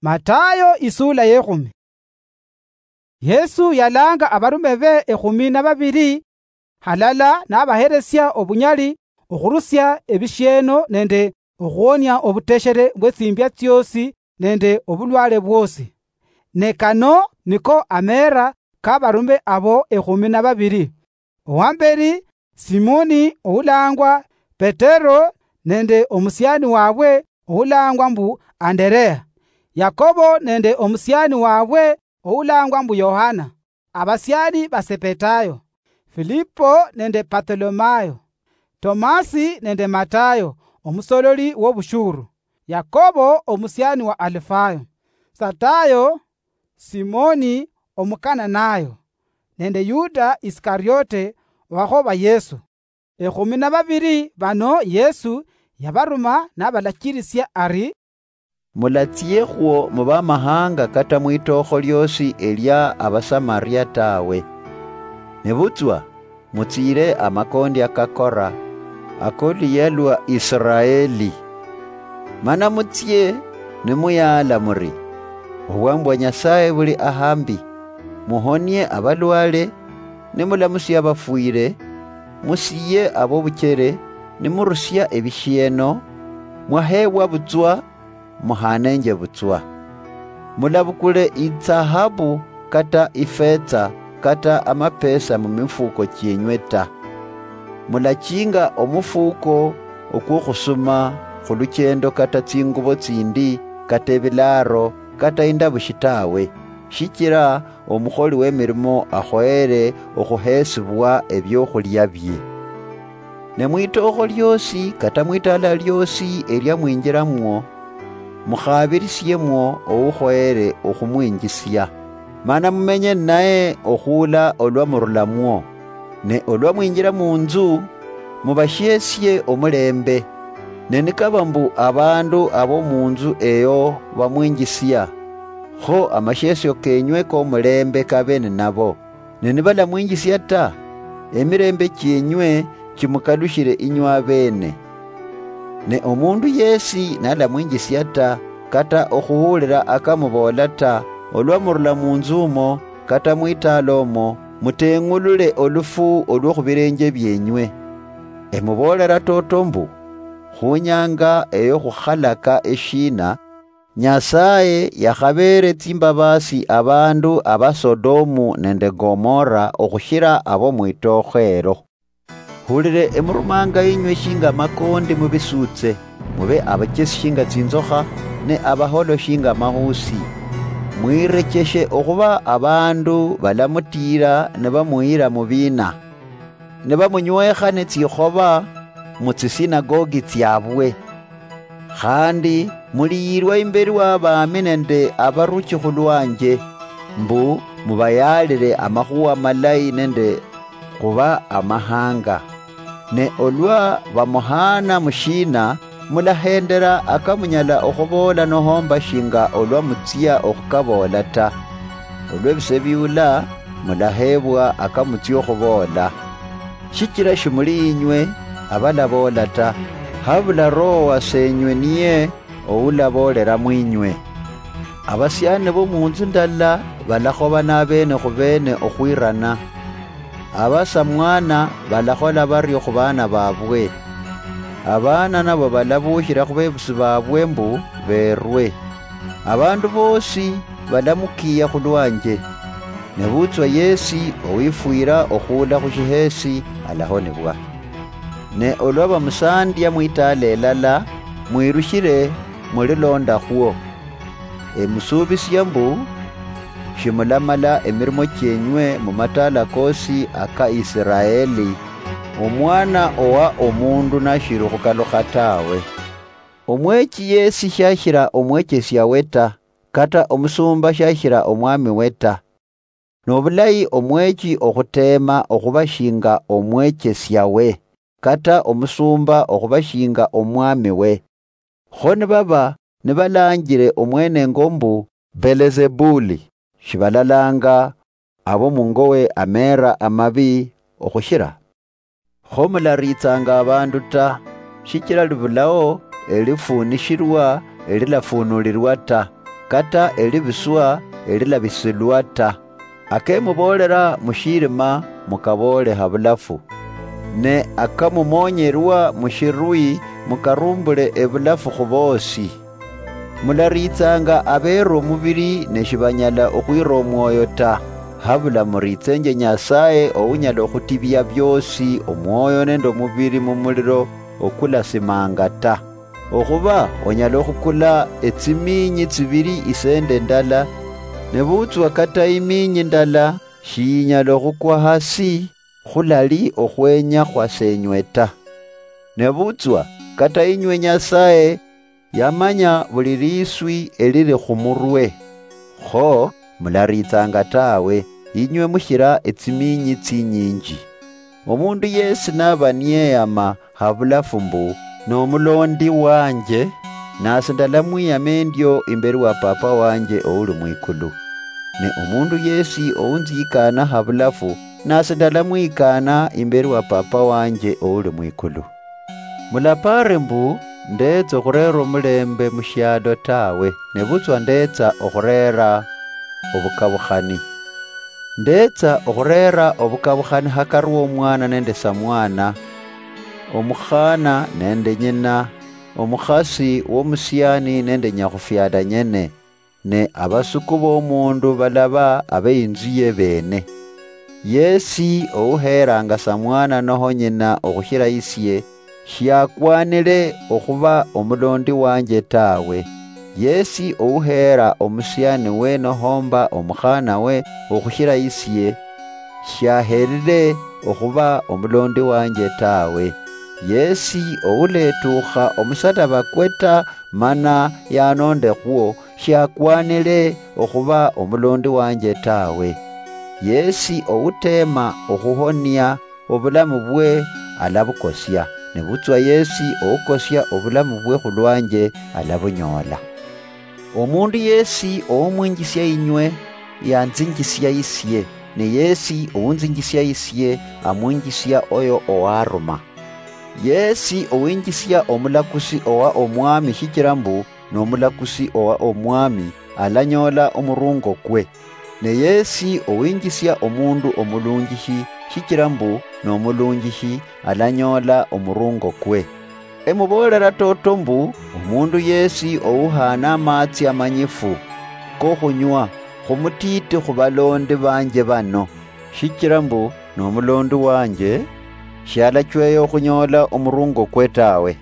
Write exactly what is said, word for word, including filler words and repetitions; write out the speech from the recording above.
Matayo isula yekhumi. Yesu yalanga abarume be ekhumi na babiri, halala nabaheresia obunyali okhurusia ebishieno nende okhuonia obuteshere bwetsimbia tsiosi nende obulwale bwosi. Ne kano niko ameera kabarume abo ekhumi na babiri. Owamberi, Simoni oulangwa Petero nende omusiani wabwe oulangwa mbu Anderea, Yakobo nende omusiani wabwe oulangwa mbu Yohana, abasiani ba Sepetayo, Filipo nende Bartholomayo, Tomasi nende Matayo omusololi wobushuru, Yakobo omusiani wa Alifayo, Satayo, Simoni Omukananayo, nende Yuda Isikariote owakhoba Yesu. Ekhumi na babiri bano Yesu yabaruma nabalachirisia ari, "Mulatsiekhwo mu bamahanga kata mwitookho liosi elia Abasamaria tawe. Nebutswa mutsiire amakondi akakora akoluyia lwa Israeli. Mana mutsie nimuyaala muri, 'Obwami bwa Nyasaye buli ahambi. Muhonie abalwale, nimulamusia abafwire, musiye abobuchere, nimurusia ebishieno, mwahebwa butswa, muhanenje butswa. Mulabukule itsahabu kata ifetsa kata amapesa mu mifuko chienywe ta. Mulachinga omufuko okwokhusuma khuluchendo kata tsingubo tsindi kata ebilaaro kata indabushi tawe, shichira omukholi wemirimo akhoyere okhuhesibwa ebiokhulya bie. Ne mwitookho liosi kata mwitaala liosi elia mwinjiramwo, mukhabirisiemwo oukhoyere okhumwinjisia, mana mumenye ninaye okhuula olwa murulamwo. Ne olwa mwinjira munzu, mubashiesie omulembe. Ne nikaba mbu abandu abomunzu eyo bamwinjisia, kho amashiesio kenywe komulembe kabe ninabo. Ne nibalamwinjisia ta, emilembe chienywe chimukalushire inywe abene. Ne omundu yesi nalamwinjisia ta, kata okhuhulira akamuboola ta, olwa murula munzu umo, kata mwitaala omo, muteng'ulule olufu olwo khubilenje bienywe. Emuboolera toto mbu, khunyanga eyo khukhalaka eshiina, Nyasaye yakhabeere tsimbabasi abandu aba Sodomu nende Gomora okhushira abo mwitookho elo. Hulire emurumanga inywe shinga amakondi mubisuutse, mube abachesi shinga tsinzokha, ne abaholo shinga amahusi. Mwirecheshe okhuba abandu balamutiira nibamuyira mu biina, nibamunywekha netsikhoba mutsisinagogi tsiabwe. Khandi muliyirwa imberi wa baami nende abaruchi khulwanje, mbu mubayaalire amakhuwa amalayi nende khuba amahanga. Ne olwa bamuhaana mushiina, mulahendera akamunyala okhuboola nohomba shinga olwa mutsia okhukaboola ta. Olwebise biula, mulaheebwa akamutsia okhuboola. Shichira shimuli inywe abalaboola ta, habula Roho wasenywe niye oulaboolera mwinywe. Abasiani bomunzu ndala balakhobana abeene khubeene okhwirana. Abasamwana balakhola bario khubaana babwe. Abaana nabo balabuushira khubebusi babwe mbu beerwe. Abandu boosi balamukiiya khulwanje. Nebutswa yesi owifwira okhuula khushiheesi alahonibwa. Ne olwa bamusandia mwitaala elala, mwirushire mulilondakhwo. Emusuubisia mbu, shimulamala emirimo chienywe mumataala koosi aka Isiraeli, Omwana owa Omundu nashiri okhukalukha tawe. Omwechi yesi shashira omwechesiawe ta, kata omusumba shashira omwamiwe ta. Nobulayi omwechi okhuteema okhuba shinga omwechesiawe, kata omusumba okhuba shinga omwamiwe. Kho nibaba nibalanjire omwenengo mbu Belezebuli, shibalalanga abo mungowe ameera amabi okhushira? Kho mularitsanga abandu ta, shichira libulao elifunishirwa elilafunulirwa ta. kata elibiswa elilabisilwa ta. Akemuboolera mushirima mukaboole habulafu, ne akamumoonyerwa mushirwi mukarumbule ebulafu khuboosi. Mulariitsanga abeera omubiri ne shibanyala okhwira omwoyo ta, habula muriitsenje Nyasaye ounyala okhutibia bioosi omwoyo nende omubiri mumuliro okulasimanga ta. Okhuba onyala okhukula etsimiinyi tsibiri isende ndala, nebutswa kata imiinyi ndala shiyinyala okhukwa hasi khulali okhwenya khwas'enywe ta. Nebutswa kata inywe Nyasaye yamanya buli liswi elili khumurwe. Kho mulariitsanga tawe, inywe mushira etsimiinyi tsinyinji. Omundu yesi naba niyeyama habulafu mbu, "Nomulondi wanje, nasi ndalamwiyama endio imberi wa Papa wanje ouli mwikulu. Ne omundu yesi ounzikana habulafu, nasi ndalamwikana imberi wa Papa wanje ouli mwikulu." Mulapare mbu, ndetsa okhurera omulembe mushialo tawe, nebutswa ndetsa okhurera obukabukhani. Ndetsa okhurera obukabukhani hakari womwana nende samwana, omukhana nende nyina, omukhasi womusiani nende nyakhufiala nyene, ne abasuku bomundu balaba abeinzuye bene. Yesi ouheranga samwana noho nyina okhushira isie, shiakwanire okhuba omulondi wanje tawe. Yesi ouheera omusiani we nohomba omukhana we okhushira isie, shiaherire okhuba omulondi wanje tawe. Yesi ouletukha omusalaba kwe ta mana yanondekhwo, shiakwanire okhuba omulondi wanje tawe. Yesi outeema okhuhonia obulamu bwe alabukosia, nebutswa yesi oukosia obulamu bwe khulwanje alabunyoola. Omundu yesi oumwinjisia inywe, yanzinjisia isie, ne yesi ounzinjisia isie, amwinjisia oyo owaruma. Yesi owinjisia omulakusi owa Omwami shichira mbu nomulakusi owa Omwami, alanyoola omurungo kwe. Ne yesi owinjisia omundu omulunjishi shichira mbu nomulunjishi, alanyoola omurungo kwe. Emuboolera toto mbu, omundu yesi ouhaana amaatsi amanyifu kokhunywa khumutiiti khubalondi banje bano, shichira mbu nomulondi wanje, shialachweya okhunyoola omurungo kwe tawe.